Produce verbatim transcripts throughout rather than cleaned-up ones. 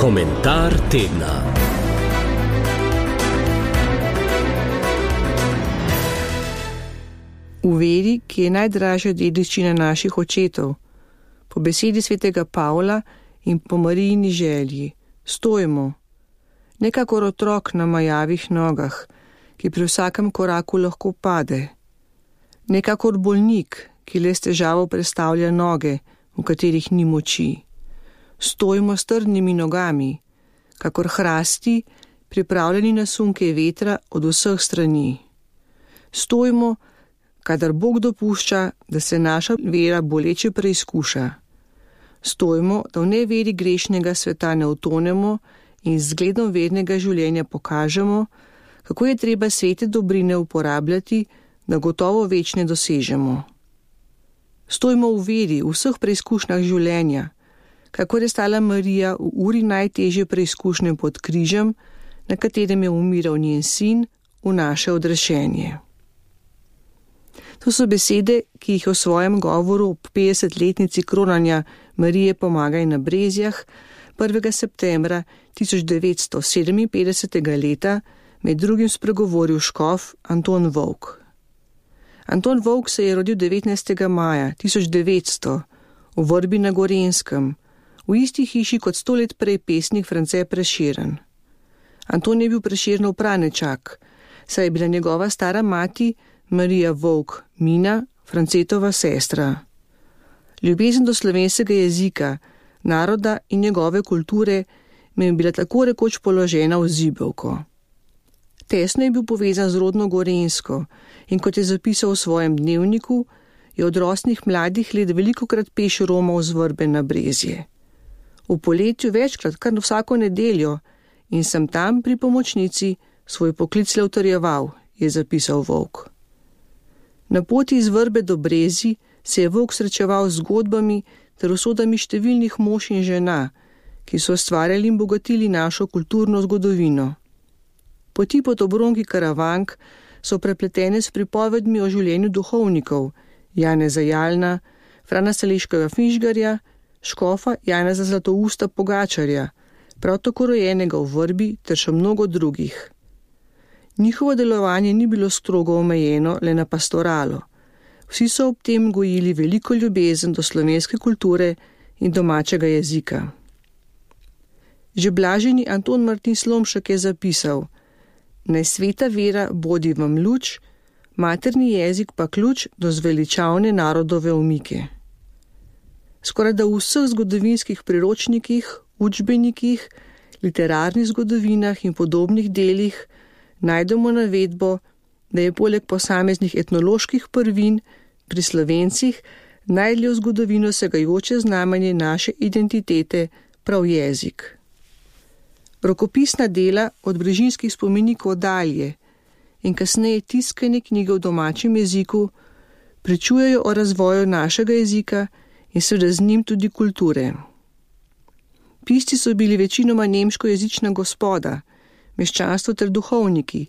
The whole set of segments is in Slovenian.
Komentar tedna. V veri, ki je najdražja dediščina naših očetov, po besedi svetega Pavla in po Marijini želji, stojimo, nekakor otrok na majavih nogah, ki pri vsakem koraku lahko pade, nekakor bolnik, ki le s težavo prestavlja noge, v katerih ni moči. Stojimo s trdnimi nogami, kakor hrasti, pripravljeni na sunke vetra od vseh strani. Stojimo, kadar Bog dopušča, da se naša vera boleče preizkuša. Stojimo, da v neveri grešnega sveta ne utonemo in z zgledom vernega življenja pokažemo, kako je treba svete dobrine uporabljati, da gotovo večne dosežemo. Stojimo v veri v vseh preizkušnjah življenja, kakor je stala Marija v uri najtežje preizkušnje pod križem, na katerem je umiral njen sin v naše odrešenje. To so besede, ki jih v svojem govoru ob petdesetletnici kronanja Marije Pomagaj na Brezjah prvega septembra tisoč devetsto sedeminpetdesetega leta med drugim spregovoril škof Anton Volk. Anton Volk se je rodil devetnajstega maja tisoč devetsto v Vrbi na Gorenjskem, v isti hiši kot sto let prej pesnik France Prešeren. Anton je bil Prešernov pranečak, saj je bila njegova stara mati Marija Volk Mina, Francetova sestra. Ljubezen do slovenskega jezika, naroda in njegove kulture mi je bila tako rekoč položena v zibelko. Tesno je bil povezan z rodno Gorenjsko in kot je zapisal v svojem dnevniku, je od rosnih mladih let velikokrat peš romal z Vrbe na Brezje. V poletju večkrat, kar vsako nedeljo, in sem tam pri pomočnici svoj poklic le utrjeval, je zapisal Volk. Na poti iz Vrbe do Brezij se je Volk srečeval z zgodbami ter usodami številnih mož in žena, ki so ustvarjali in bogatili našo kulturno zgodovino. Poti pod obronki Karavank so prepletene s pripovedmi o življenju duhovnikov Janeza Jalna, Frana Saleškega Finžgarja, škofa Janeza Zlatousta Pogačarja, prav tako rojenega v Vrbi ter še mnogo drugih. Njihovo delovanje ni bilo strogo omejeno le na pastoralo. Vsi so ob tem gojili veliko ljubezen do slovenske kulture in domačega jezika. Že blaženi Anton Martin Slomšek je zapisal: naj sveta vera bodi vam luč, materni jezik pa ključ do zveličavne narodove umike. Skoraj da v vseh zgodovinskih priročnikih, učbenikih, literarnih zgodovinah in podobnih delih najdemo navedbo, da je poleg posameznih etnoloških prvin pri Slovencih najdlje v zgodovino segajoče znamenje naše identitete prav jezik. Rokopisna dela od brežinskih spomenikov dalje in kasneje tiskane knjige v domačem jeziku pričujejo o razvoju našega jezika in seveda z njim tudi kulture. Pisci so bili večinoma nemškojezična gospoda, meščanstvo ter duhovniki,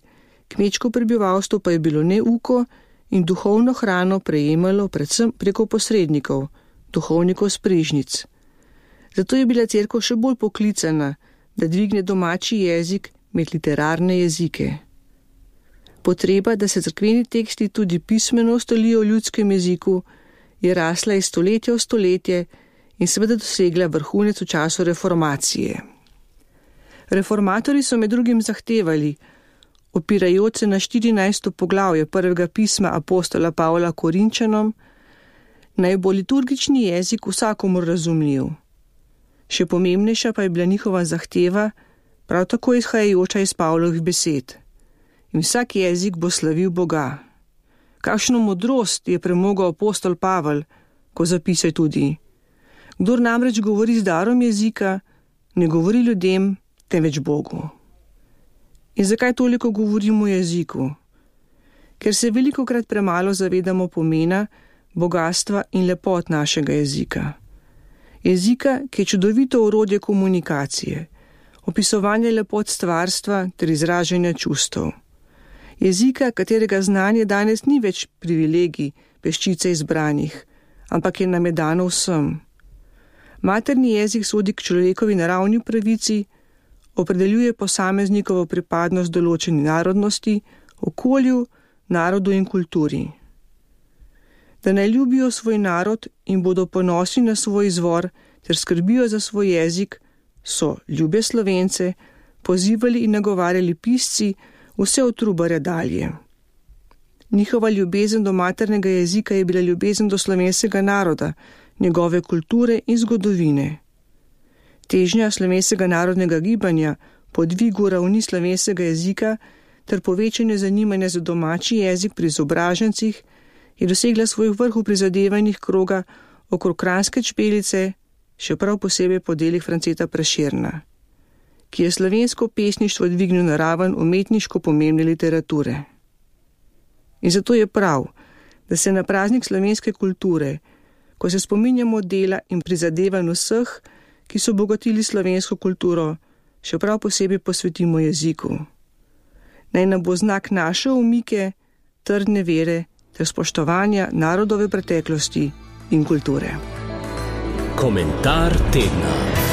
kmečko prebivalstvo pa je bilo neuko in duhovno hrano prejemalo predvsem preko posrednikov, duhovnikov s prižnic. Zato je bila cerkev še bolj poklicana, da dvigne domači jezik med literarne jezike. Potreba, da se cerkveni teksti tudi pismeno ustalijo v ljudskem jeziku, je rasla iz stoletja v stoletje in seveda dosegla vrhunec v času reformacije. Reformatorji so med drugim zahtevali, opirajoč se na štirinajsto poglavje prvega pisma apostola Pavla Korinčanom, naj bo liturgični jezik vsakomur razumljiv. Še pomembnejša pa je bila njihova zahteva, prav tako izhajajoča iz Pavlovih besed. In vsak jezik bo slavil Boga. Kakšno modrost je premogel apostol Pavel, ko zapisaj tudi: kdor namreč govori z darom jezika, ne govori ljudem, temveč Bogu. In zakaj toliko govorimo o jeziku? Ker se velikokrat premalo zavedamo pomena, bogastva in lepot našega jezika. Jezika, ki je čudovito orodje komunikacije, opisovanje lepot stvarstva ter izražanja čustev. Jezika, katerega znanje danes ni več privilegij peščice izbranih, ampak je nam je dano vsem. Materni jezik sodi k človekovi naravni pravici, opredeljuje posameznikovo pripadnost določeni narodnosti, okolju, narodu in kulturi. Da naj ljubijo svoj narod in bodo ponosni na svoj izvor ter skrbijo za svoj jezik, so ljube Slovence pozivali in nagovarjali pisci vse od Trubarja dalje. Njihova ljubezen do maternega jezika je bila ljubezen do slovenskega naroda, njegove kulture in zgodovine. Težnja slovenskega narodnega gibanja po dvigu ravni slovenskega jezika ter povečanje zanimanja za domači jezik pri izobražencih je dosegla svoj vrh v prizadevanjih kroga okrog Kranjske čpelice, še prav posebej po delih Franceta Prešerna, ki je slovensko pesništvo dvignil na raven umetniško pomembne literature. In zato je prav, da se na praznik slovenske kulture, ko se spominjamo dela in prizadevanj vseh, ki so bogatili slovensko kulturo, še prav posebej posvetimo jeziku. Naj nam bo znak naše umike, trdne vere ter spoštovanja narodove preteklosti in kulture. Komentar tedna.